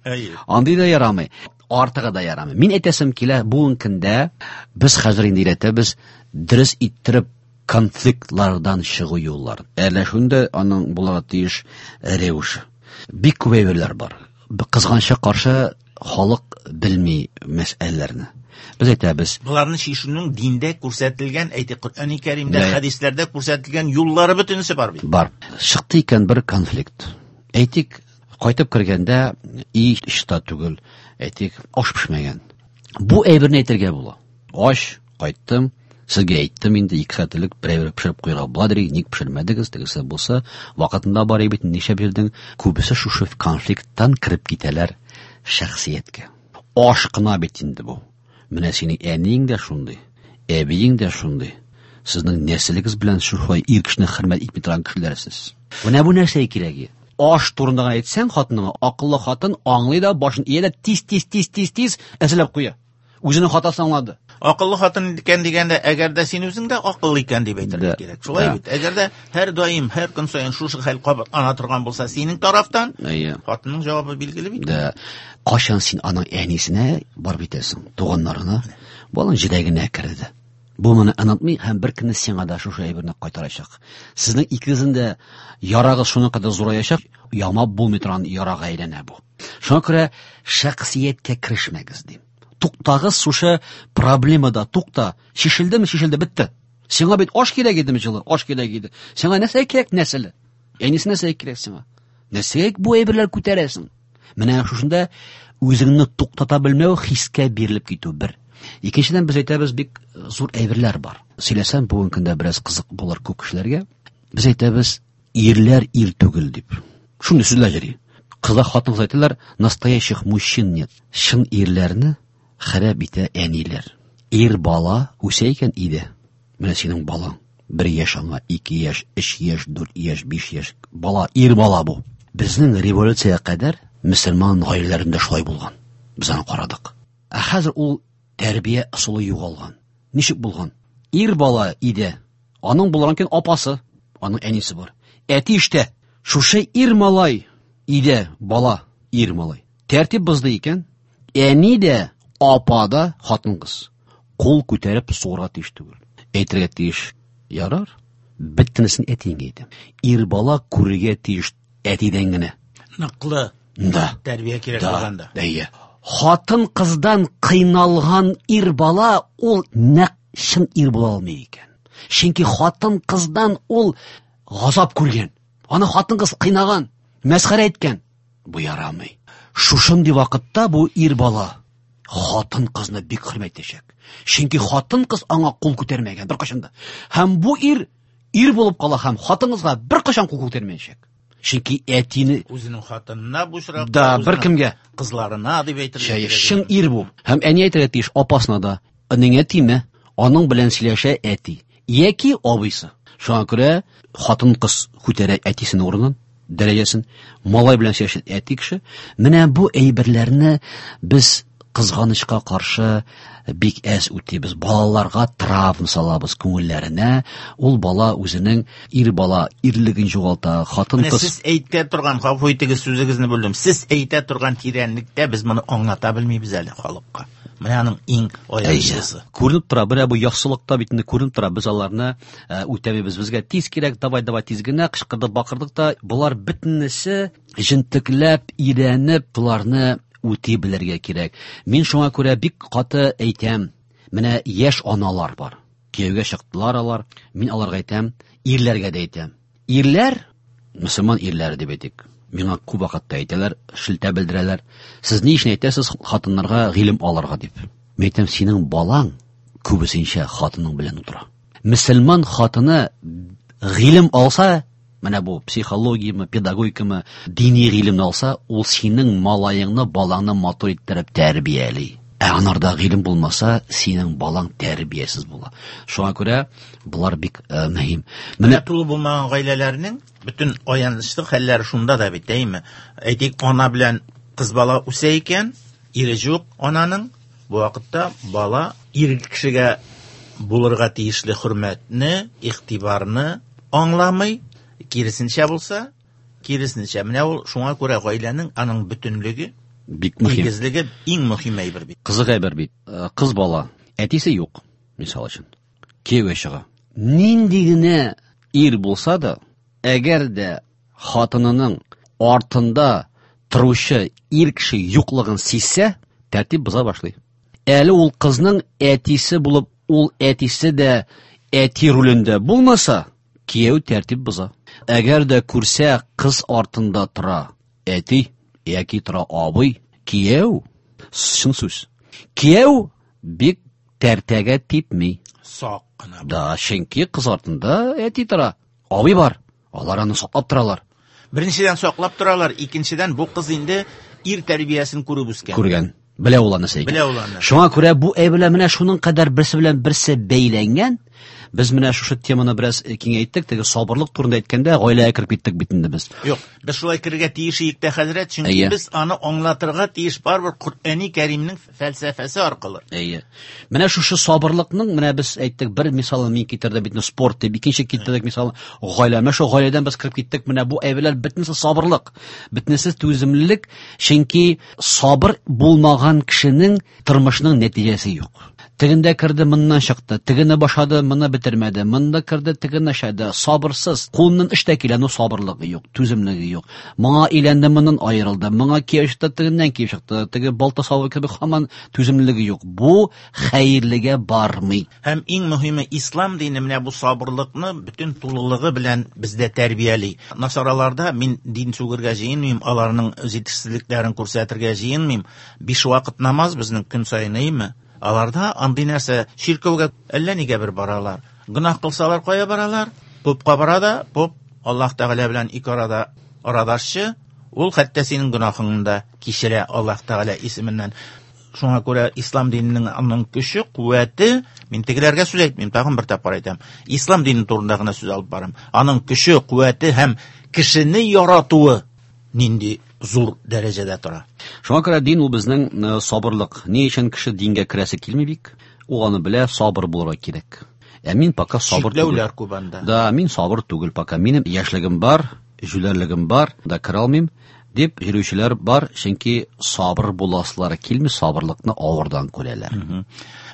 Андый да ярамый. Артыгы да ярамый. Мин әйтәсем килә, бүгенге көндә без хәзер инде өйрәтәбез дөрес иттереп конфликтлардан чыгу юлларын. Әрләшүендә аның булырга тиеш рәвеше. Бик күп әйберләр бар. Кызганычка каршы Халык белми мәсьәләләрне. Без әйтәбез. Боларны чишүнең диндә күрсәтелгән, әйтик, Коръәни Кәримдә, хәдисләрдә күрсәтелгән юллары бөтенесе бар бит. Бар. Чыкты икән бер конфликт. Әйтик, кайтып кергәндә өй чиста түгел, әйтик, аш пешмәгән. Бу әйберне әйтергә була. Аш, кайттым, сезгә әйттем инде, ике сәгать элек бер әйбер пешереп куярга була, ник пешермәдегез, тегесе булса, вакытында бар бит, нишләп йөрдең? Күбесе шушы конфликттан кереп китәләр шәхсияткә. Аш кына бит инде бу. Менә синең әниең дә шундый, әбиең дә шундый. Сезнең нәселегез белән шулай ир кешене хөрмәт итми торган кешеләрсез. Менә бу нәрсә кирәге. Аш турында гына әйтсәң хатыныңа, акыллы хатын аңлый да, башын ия дә тиз тиз тиз тиз тиз әзерләп куя. Үзенең хатасын аңлады. Акыллы хатын икән дигәндә, әгәр дә син үзең дә акыллы икән дип әйтергә кирәк. Шулай бит. Әгәр дә һәр даим, һәр көн саен шушы хәл кабатлана торган булса, синең тарафтан, хатынның җавабы билгеле бит. Да. Кайчан син аның әнисенә барып итәсең, туганнарына, бу аның җиләгенә керде. Бу моны онытмый һәм бер көнне сиңа да шушы әйберне кайтарачак. Сезнең икегезнең дә ярагыз шуның кадәр зураячак, ямап булмый торган ярага әйләнә бу. Шуңа күрә шәхсияткә керешмәгез дим. Туктагыз шушы проблемада, тукта. Чишелдеме, чишелде, бетте. Сиңа бит аш кирәк идеме җылы, аш кирәк иде. Сиңа нәрсә кирәк нәселе? Әнисе нәрсә кирәк сиңа? Нәрсәгә бу әйберләр күтәрәсең? Менә шушында үзеңне туктата белмәү, хискә бирелеп китү бер. Икенчедән без әйтәбез, бик зур әйберләр бар. Сөйләсәм, бүгенге көндә бераз кызык булыр күп кешеләргә. Без әйтәбез, ирләр ир түгел дип. Шундый сүзләр йөри. Кызлар, хатын-кыз әйтәләр, настоящих мужчин нет. Чын ирләрне харап итә әниләр. Ир бала үсә икән иде. Менә синең балаң. Бер яшь аңа, ике яшь, өч яшь, дүрт яшь, биш яшь. Бала, ир бала бу. Безнең революциягә кадәр мөселман гаиләләрендә шулай булган. Без аны карадык. Ә хәзер ул тәрбия ысулы югалган. Ничек булган? Ир бала иде. Аның булган икән апасы, аның әнисе бар. Әти эштә. Шушы ир малай иде, бала, ир малай. Тәртип бозды икән, әни дә, апа да хатын-кыз. Кул күтәреп сугырга тиеш түгел. Әйтергә тиеш. Ярар. Бөтенесен әтиеңә әйтәм. Ир бала күрергә тиеш әтидән генә. Ныклы. Да. Тәрбия кирәк булганда. Әйе. Хатын-кыздан кыйналган ир бала ул нәкъ чын ир була алмый икән. Чөнки хатын-кыздан ул газап күргән. Аны хатын-кыз кыйнаган, мәсхәрә иткән. Бу ярамый. Шушындый вакытта бу ир бала хатын-кызны бик хөрмәт итәчәк. Чөнки хатын-кыз аңа кул күтәрмәгән беркайчан да. Һәм бу ир ир булып кала һәм хатын-кызга беркайчан кул күтәрмәячәк. Чөнки әтине үзенең хатынына бу очракта, да, бер кемгә, кызларына дип әйтергә кирәк. Чын ир бу. Һәм әни әйтергә тиеш апасына да, энеңә тимә, аның белән сөйләшә әти яки абыйсы. Шуңа күрә хатын-кыз күтәрә әтисенең урынын, дәрәҗәсен, малай белән сөйләшә әти кеше. Менә бу әйберләрне без кызганычка каршы бик әз үтибез. Балаларга травма салабыз күңелләренә. Ул бала үзенең ир бала ирлеген югалта, хатын-кыз. Сез әйтә торган, гафу итегез, сүзегезне бүлдем. Сез әйтә торган тирәнлектә без моны аңлата белмибез әле халыкка. Менә аның иң аянычлысы. Күренеп тора, менә бу яхшылыкта бит инде күренеп тора. Без аларны үтәмибез. Безгә тиз кирәк, давай, давай тиз генә кычкырдык, бакырдык та, болар бөтенесе җентекләп, өйрәнеп, боларны үти белергә кирәк. Мин шуңа күрә бик каты әйтәм. Менә яшь аналар бар. Кияүгә чыктылар алар. Мин аларга әйтәм, ирләргә дә әйтәм. Ирләр, мөселман ирләре дип әйтик. Миңа күп вакытта әйтәләр, шелтә белдерәләр. Сез ни өчен әйтәсез хатыннарга гыйлем алырга дип? Мин әйтәм, синең балаң күбесенчә хатының белән утыра. Мөселман хатыны гыйлем алса, менә бу психологияме, педагогикамы, дини гыйлемне алса, ул синең малаеңны, балаңны матур иттереп тәрбияли. Ә анарда гыйлем булмаса, синең балаң тәрбиясез була. Шуңа күрә болар бик мөһим. Менә тулы булмаган гаиләләрнең бөтен аянычлы хәлләре шунда да бит, әйме? Әйтик, ана белән кыз бала үсә икән, ире юк ананың, бу вакытта бала ир кешегә булырга тиешле хөрмәтне, игътибарны аңламый. Киресенчә булса, киресенчә. Менә ул шуңа күрә гаиләнең аның бөтенлеге, бик мөһим. Тигезлеге иң мөһим әйбер бит. Кызык әйбер бит. Кыз бала, әтисе юк, мисал өчен. Кияүгә чыга. Нинди генә ир булса да, әгәр дә хатынының артында торучы ир кеше юклыгын сизсә, тәртип боза башлый. Әле ул кызның әтисе булып, ул әтисе дә әти ролендә булмаса, кияү тәртип боза. Әгәр дә күрсә, кыз артында тора әти яки тора абый, кияү, чын сүз. Кияү бик тәртәгә типми. Сак кына. Да, чөнки кыз артында әти тора, абый бар. Алар аны саклап торалар. Беренчедән саклап торалар, икенчедән бу кыз инде ир тәрбиясен күреп үскән. Күргән. Белә ул аны сәйгән. Белә ул аны. Шуңа күрә бу әйберләр менә шуның кадәр берсе белән берсе бәйләнгән. Без менә шушы теманы бераз киңәйттек, теге сабырлык турында әйткәндә гаиләгә кереп киттек бит инде без. Юк, без шулай керергә тиеш идек тә, хәзрәт, чөнки Әйе. без аны аңлатырга тиеш барыбер Коръәни Кәримнең фәлсәфәсе аркылы. Әйе. Менә шушы сабырлыкның, менә без әйттек, бер мисалын мин китердем бит, спорт дип, икенче китердек мисалын гаилә. Менә шул гаиләдән без кереп киттек. Менә бу әйберләр бөтенесе сабырлык, бөтенесе түземлелек, чөнки сабыр булмаган кешенең тормышының нәтиҗәсе юк. Тегендә керде, моннан чыкты, тегене башлады, моны бетермәде, монда керде, тегене ашады. Сабырсыз, кулыннан эш тә килә, но сабырлыгы юк, түземлеге юк. Моңа өйләнде, моннан аерылды, моңа кияү чыкты, тегеннән кияү чыкты, теге балта сабы кебек һаман түземлеге юк. Бу хәерлегә бармый. Һәм иң мөһиме, ислам дине менә бу сабырлыкны бөтен тулылыгы белән бездә тәрбияли. Насараларда мин дин сүгергә җыенмыйм, аларның җитешсезлекләрен күрсәтергә җыенмыйм. Биш вакыт намаз безнең көн саен, әйеме? Аларда андый нәрсә, чиркәүгә әллә нигә бер баралар. Гөнаһ кылсалар кая баралар? Попка бара да, поп Аллаһ Тәгалә белән ике арада арадашчы, ул хәтта синең гөнаһыңны да кичерә Аллаһ Тәгалә исеменнән. Шуңа күрә ислам диненең аның көче, куәте, мин тегеләргә сүз әйтмим, тагын бер тапкыр әйтәм. Ислам дине турында гына сүз алып барам. Аның көче, куәте һәм кешене яратуы нинди зур дәрәҗәдә тора. Шуңа күрә дин ул безнең, э, сабырлык. Ни өчен кеше дингә керәсе килми бик? Ул аны белә, сабыр булырга кирәк. Ә мин пока сабыр түгел. Чикләүләр күп анда. Да, мин сабыр түгел пока. Минем яшьлегем бар, җүләрлегем бар, да керә алмыйм дип йөрүчеләр бар, чөнки сабыр буласылары килми, сабырлыкны авырдан күрәләр. Мгм.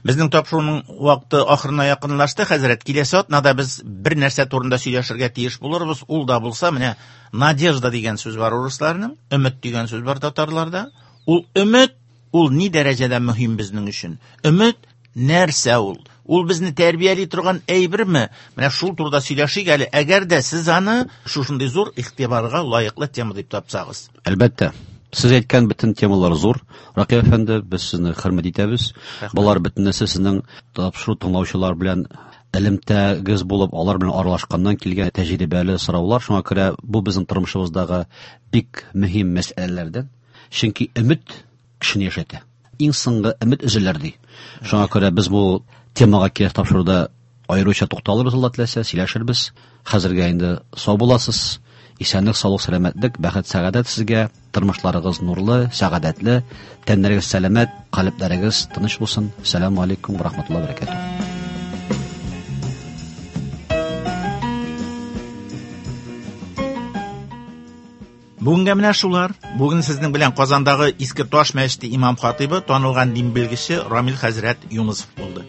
Безнең тапшыруның вакыты ахырына якынлашты, хәзрәт. Киләсе атнада без бер нәрсә турында сөйләшергә тиеш булырбыз. Ул да булса, менә надежда дигән сүз бар урысларның, өмет дигән сүз бар татарларда. Ул өмет, ул ни дәрәҗәдә мөһим безнең өчен? Өмет нәрсә ул? Ул безне тәрбияли торган әйберме? Менә шул турыда сөйләшик әле. Әгәр дә сез аны шушындый зур игътибарга лаеклы тема дип тапсагыз. Әлбәттә. Сез әйткән бөтен темалар зур. Ракыйп әфәнде, без сезне хөрмәт итәбез. Рәхмәт. Болар бөтенесе сезнең тапшыру тыңлаучылар белән элемтәгез булып, алар белән аралашканнан килгән тәҗрибәле сораулар. Шуңа күрә бу безнең тормышыбыздагы бик мөһим мәсьәләләрдән. Чөнки өмет кешене яшәтә. Иң соңгы өмет өзелер ди. Шуңа күрә без бу темага киләсе тапшыруда аеруча тукталырбыз, Алла теләсә, сөйләшербез. Хәзергә инде сау буласыз. Исәнлек, саулык, сәламәтлек, бәхет, сәгадәт сезгә. Тормышларыгыз нурлы, сәгадәтле, тәннәрегез сәламәт, калебләрегез тыныч булсын. Ассаламу алейкум ва рахматуллаһи ва баракатуһ. Бүгенгә менә шулар. Бүген сезнең белән Казандагы Иске Таш мәчете имам хатибы, танылган дин белгече Рамил хәзрәт Юнысов булды.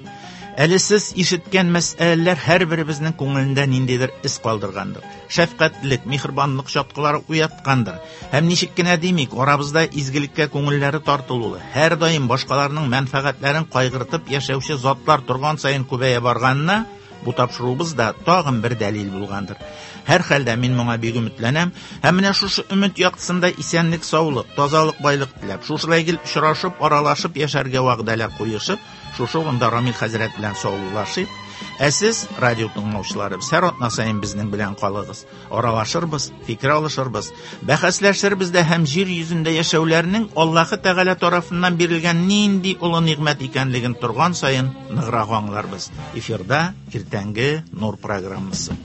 Әле сез ишеткән мәсьәләләр һәрберебезнең күңелендә ниндидер эз калдыргандыр. Шәфкатьлек, миһербанлык чаткылары уяткандыр. Һәм ничек кенә димик, арабызда изгелеккә күңелләре тартылуы, һәр даим башкаларның мәнфәгатьләрен кайгыртып яшәүче затлар торган саен күбәя барганына бу тапшыруыбыз да тагын бер дәлил булгандыр. Һәр хәлдә мин моңа бик өметләнәм. Һәм менә шушы өмет яктысында исәнлек, саулык, тазалык, байлык теләп, шушылай гел очрашып, аралашып яшәргә вәгъдәләр куешып, шушы урында Рамил хәзрәт белән саубуллашып, ә сез, радио тыңлаучыларыбыз, һәр атна саен безнең белән калыгыз. Аралашырбыз, фикер алышырбыз, бәхәсләшербез дә һәм җир йөзендә яшәүләрнең Аллаһы Тәгалә тарафыннан бирелгән нинди олы нигъмәт икәнлеген торган саен ныграк аңларбыз. Эфирда иртәнге Нур программасы.